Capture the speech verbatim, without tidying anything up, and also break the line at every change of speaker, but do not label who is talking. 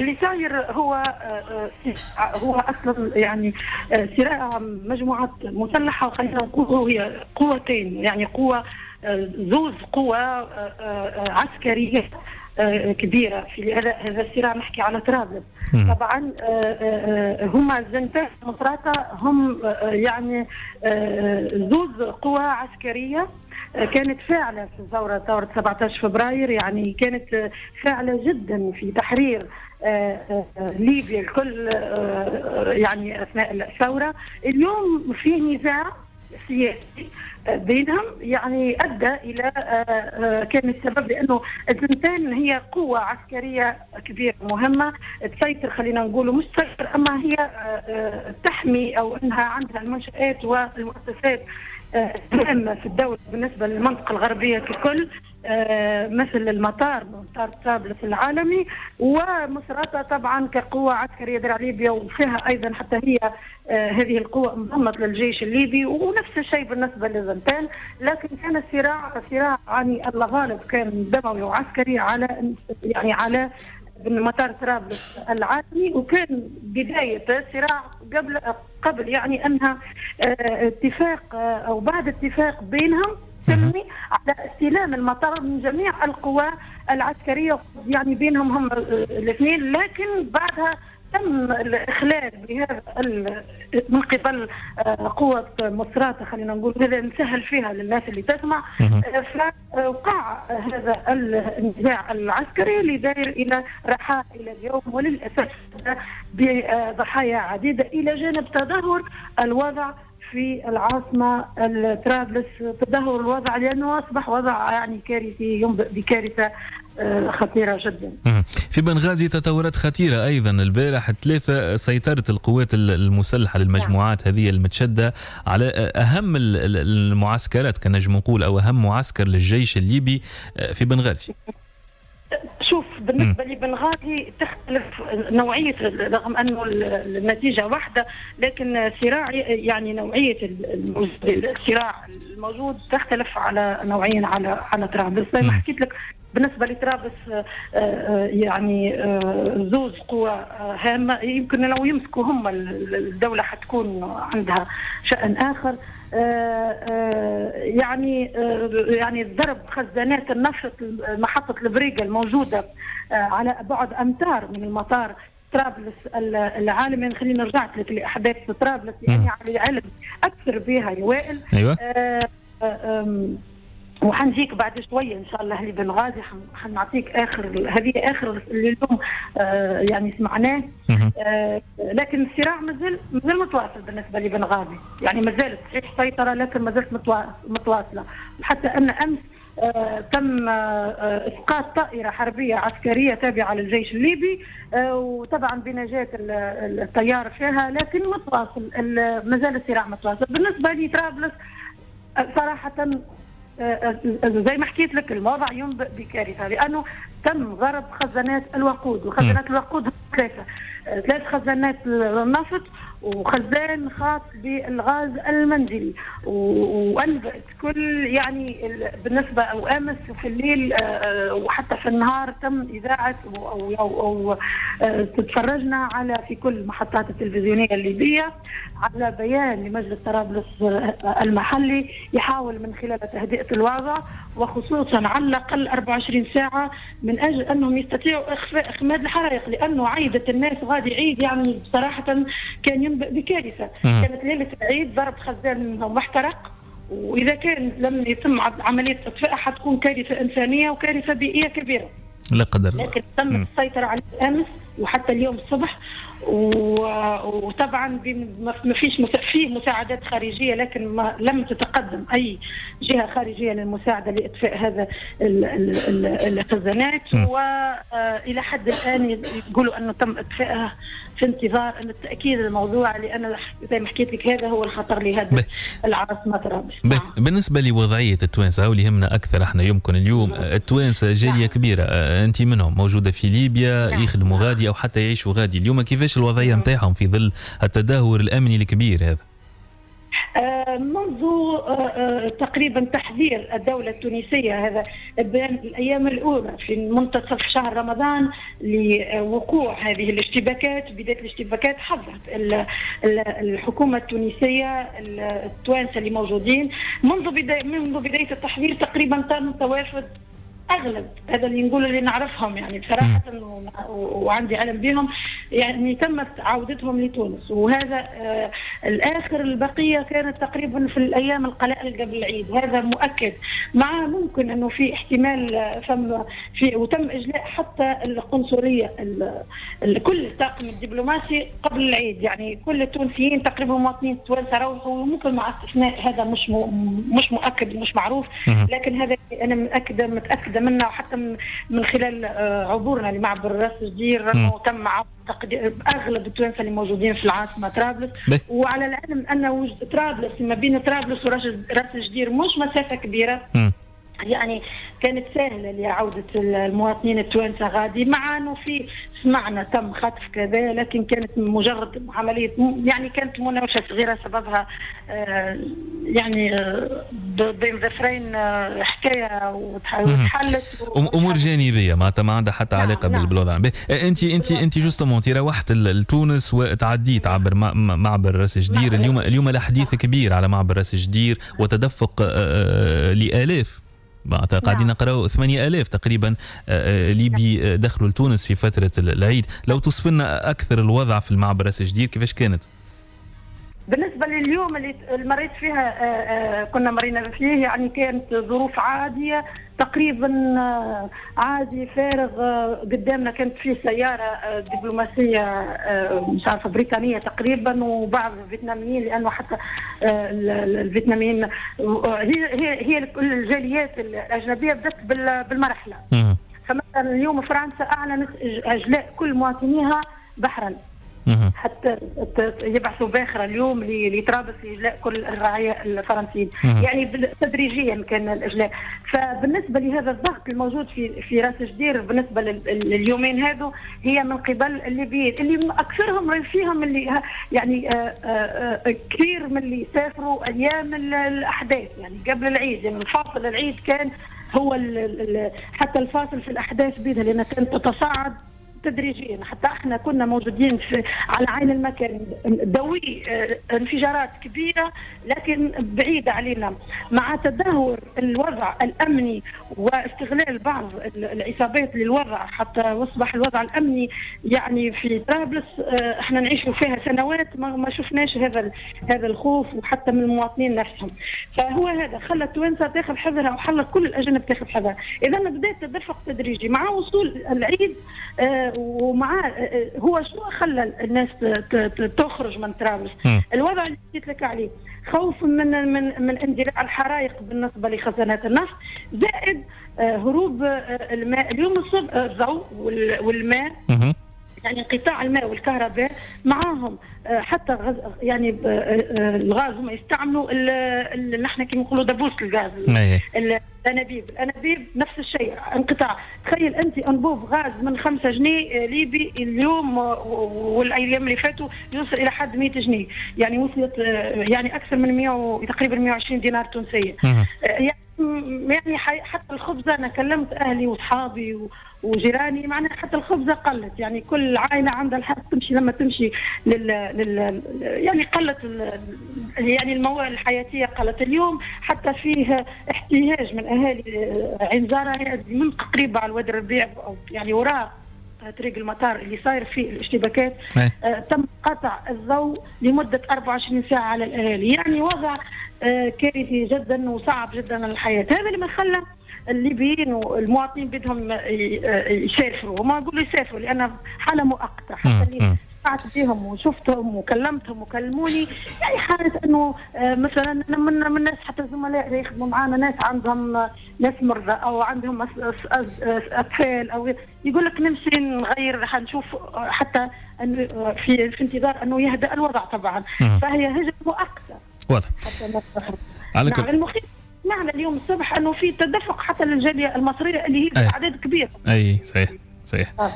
اللي صاير هو هو اصلا يعني صراع مجموعات مسلحه، وخلينا نقول هي قوتين، يعني قوة زوز قوى عسكرية كبيرة في هذا هذا الصراع. نحكي على طرابلس طبعا، هما الزنتان مصراتة هم يعني زوز قوى عسكرية كانت فاعله في الثورة، ثورة سبعة عشر فبراير، يعني كانت فاعله جدا في تحرير ليبيا الكل يعني اثناء الثورة. اليوم فيه نزاع سياسي بينهم يعني ادى الى، كان السبب لانه الزنتان هي قوة عسكرية كبيرة مهمة تسيطر، خلينا نقولوا مش تسيطر اما هي تحمي او انها عندها المنشآت والمؤسسات هامة في الدولة بالنسبة للمنطقة الغربية ككل، مثل المطار، مطار طرابلس العالمي، ومصراتة طبعا كقوة عسكرية درع ليبيا، وفيها أيضا حتى هي هذه القوة انضمت للجيش الليبي، ونفس الشيء بالنسبة للزنتان. لكن كان الصراع صراع يعني الله غالب كان دموي وعسكري على يعني على مطار طرابلس العالمي، وكان بداية الصراع قبل قبل يعني أنها اتفاق أو بعد اتفاق بينهم سلمي على استلام المطار من جميع القوى العسكرية يعني بينهم هم الاثنين. لكن بعدها تم الإخلال بهذا من قبل قوة مصراتة، خلينا نقول هذا نسهل فيها للناس اللي تسمع، فوقع هذا النزاع العسكري اللي داير إلى رحاء إلى اليوم، وللأسف بضحايا عديدة، إلى جانب تدهور الوضع في العاصمة طرابلس، تدهور الوضع لأنه أصبح وضع يعني كارثي ينبئ بكارثة خطيرة جدا.
في بنغازي تطورات خطيرة أيضا. البارح ثلاثة سيطرت القوات المسلحة للمجموعات هذه المتشدة على أهم المعسكرات كان نجم نقول، أو أهم معسكر للجيش الليبي في بنغازي.
شوف بالنسبة لبنغازي تختلف نوعية، رغم أنه النتيجة واحدة، لكن صراع يعني نوعية الصراع الموجود تختلف على نوعين على على طرابلس. زي ما حكيت لك بالنسبة لطرابلس يعني زوز قوى هامة يمكن لو يمسكوا هم الدولة حتكون عندها شأن آخر. يعني يعني ضرب خزانات النفط محطة البريقة الموجودة على بعد أمتار من المطار طرابلس العالمي. خلينا رجعت لك لأحداث طرابلس يعني على علم أكثر بها يا وائل.
أيوة.
وحنجيك بعد شوية ان شاء الله لبنغازي، حنعطيك اخر هذه اخر اللي اليوم آه يعني سمعناه. آه لكن الصراع مازال مازال متواصل بالنسبة لبنغازي، يعني مازالت صحيح سيطرة لكن مازالت متواصلة. حتى ان امس آه تم آه اسقاط طائره حربيه عسكرية تابعه للجيش الليبي، آه وطبعا بنجاه الطيار فيها، لكن متواصل، مازال الصراع متواصل. بالنسبة لطرابلس صراحة زي ما حكيت لك الوضع ينبئ بكارثه، لانه تم ضرب خزانات الوقود، وخزانات الوقود ثلاثة، ثلاث خزانات النفط وخزان خاص بالغاز المنزلي، وانبأت كل يعني بالنسبة او امس في الليل وحتى في النهار تم اذاعة او او, أو تتفرجنا على في كل المحطات التلفزيونية الليبية على بيان لمجلس طرابلس المحلي يحاول من خلاله تهدئه الوضع، وخصوصا على الاقل أربعة وعشرين ساعة من اجل انهم يستطيعوا اخفاء اخماد الحرائق، لانه عيده الناس غادي عيد يعني بصراحة كان ينبئ بكارثه. كانت ليلة العيد ضرب خزان واحترق، واذا كان لم يتم عملية اطفاء حتكون كارثة انسانيه وكارثة بيئية كبيرة
لا قدر الله.
لكن تم السيطرة عليه امس وحتى اليوم الصبح، وطبعا ما فيش فيه مساعدات خارجية، لكن ما لم تتقدم اي جهة خارجية للمساعدة لاطفاء هذا الخزانات، والى حد الان يقولوا انه تم اطفائها في انتظار ان التاكيد الموضوع، لان زي ما حكيت لك هذا هو الخطر لهذا العاصمة طرابلس.
بالنسبة لوضعيه التوانسة واللي يهمنا اكثر احنا يمكن اليوم، التوانسة جالية كبيرة انت منهم موجودة في ليبيا، نعم. يخدموا غادي او حتى يعيشوا غادي، اليوم كيفاش الوضعية نتاعهم في ظل التدهور الامني الكبير هذا؟
منذ تقريبا تحذير الدولة التونسية هذا بين الأيام الأولى في منتصف شهر رمضان لوقوع هذه الاشتباكات، بداية الاشتباكات حذرت الحكومة التونسية التوانسة اللي موجودين منذ بداية منذ بداية التحذير تقريبا تم توافد اغلب هذا اللي نقول اللي نعرفهم يعني بصراحة وعندي علم بهم، يعني تمت عودتهم لتونس. وهذا آه الاخر البقية كانت تقريبا في الايام القلائل قبل العيد، هذا مؤكد. مع ممكن انه في احتمال فم في وتم اجلاء حتى القنصليه كل الطاقم الدبلوماسي قبل العيد، يعني كل التونسيين تقريبا المواطنين التوانسة روحوا، وممكن مع استثناء هذا مش مش مؤكد مش معروف، لكن هذا انا متاكدة متاكدة منا، وحتى من خلال عبورنا لمعبر راس جدير انه تم اغلب التوانسة اللي موجودين في العاصمة طرابلس. وعلى العلم ان طرابلس ما بين طرابلس وراس جدير مش مسافة كبيرة، م. يعني كانت سهلة لعودة المواطنين التوانسة غادي، مع انه في سمعنا تم خطف كذا، لكن كانت مجرد عملية يعني كانت مناوشه صغيرة سببها آه يعني آه بين ظفرين آه حكاية وتحلت
امور جانبيه معناتها ما عندها حتى علاقة نعم. بالوضع. انت انت انت justement انت روحت لتونس وتعديت عبر معبر راس جدير. اليوم اليوم الحديث كبير على معبر راس جدير وتدفق آه لالاف، قاعدين نعم. نقراو ثمانية آلاف تقريبا ليبي دخلوا لتونس في فترة العيد. لو توصف لنا أكثر الوضع في المعبر راس جدير كيفاش كانت؟
بالنسبة لليوم اللي مريت فيها كنا مرينا فيه، يعني كانت ظروف عادية تقريبا، عادي فارغ. قدامنا كانت فيه سيارة دبلوماسية مش عارفة بريطانية تقريبا وبعض الفيتناميين، لأنه حتى الفيتناميين هي هي هي الجاليات الأجنبية بدأت بالمرحلة. فمثلا اليوم فرنسا أعلنت إجلاء كل مواطنيها بحرا، حتى يبعثوا باخره اليوم لطرابلس لاجلاء كل الرعايا الفرنسيين، يعني تدريجيا كان الاجلاء. فبالنسبه لهذا الضغط الموجود في في راس جدير بالنسبة لليومين هذو هي من قبل الليبيين اللي اكثرهم فيهم اللي يعني آآ آآ كثير من اللي سافروا ايام الاحداث، يعني قبل العيد، يعني الفاصل العيد كان هو حتى الفاصل في الاحداث بيدها، لانها كانت تتصاعد تدريجيا. حتى احنا كنا موجودين في على عين المكان، دوي انفجارات كبيرة لكن بعيدة علينا. مع تدهور الوضع الامني واستغلال بعض العصابات للوضع حتى اصبح الوضع الامني يعني في طرابلس احنا نعيش فيها سنوات ما شفناش هذا هذا الخوف، وحتى من المواطنين نفسهم. فهو هذا خلى التوانسة تاخذ حذرها وخلى كل الاجانب تاخذ حذرها. اذا بدات تدفق تدريجي مع وصول العيد، ومع هو شنو خلى الناس تخرج من طرابلس؟ الوضع اللي حكيت لك عليه، خوف من من من اندلاع الحرائق بالنسبة لخزانات النفط، زائد هروب الماء. اليوم الصبح الضوء والماء، يعني انقطاع الماء والكهرباء معاهم، حتى غز يعني الغاز هم يستعملوا نحن كما نقولوا دبوس الغاز، الانابيب، الانابيب نفس الشيء انقطاع. تخيل انت انبوب غاز من خمسة جنيه ليبي اليوم والايام اللي فاتوا يوصل الى حد مئة جنيه، يعني وصلت يعني اكثر من مئة تقريبا مئة وعشرين دينار تونسية. يعني حتى الخبزة انا كلمت اهلي واصحابي وجيراني، معناها حتى الخبزة قلت، يعني كل عائلة عندها الحق تمشي لما تمشي لل, لل... يعني قلت ال... يعني المواد الحياتية قلت. اليوم حتى فيه احتجاج من اهالي عين زاره من تقريبا على الوادي الربيع، يعني وراء طريق المطار اللي صاير فيه الاشتباكات، آه تم قطع الضوء لمدة أربعة وعشرين ساعة على الاهالي، يعني وضع آه كارثي جدا وصعب جدا الحياة. هذا اللي ما خلى الليبيين والمواطنين بدهم يسافروا، وما نقول يسافروا لان حاله مؤقتة. حتى اللي سمعت بهم وشفتهم وكلمتهم وكلموني، يعني حاله انه مثلا من من الناس حتى الزملاء اللي يخدموا معنا، ناس عندهم ناس مرضى او عندهم اطفال، او يقول لك نمشي نغير حنشوف حتى انه في في انتظار انه يهدأ الوضع طبعا. فهي هجره مؤقتة.
واضح.
على كل المخيف سمعنا اليوم الصبح انه في تدفق حتى للجاليه المصرية اللي هي باعداد كبيرة.
اي صحيح صحيح. آه.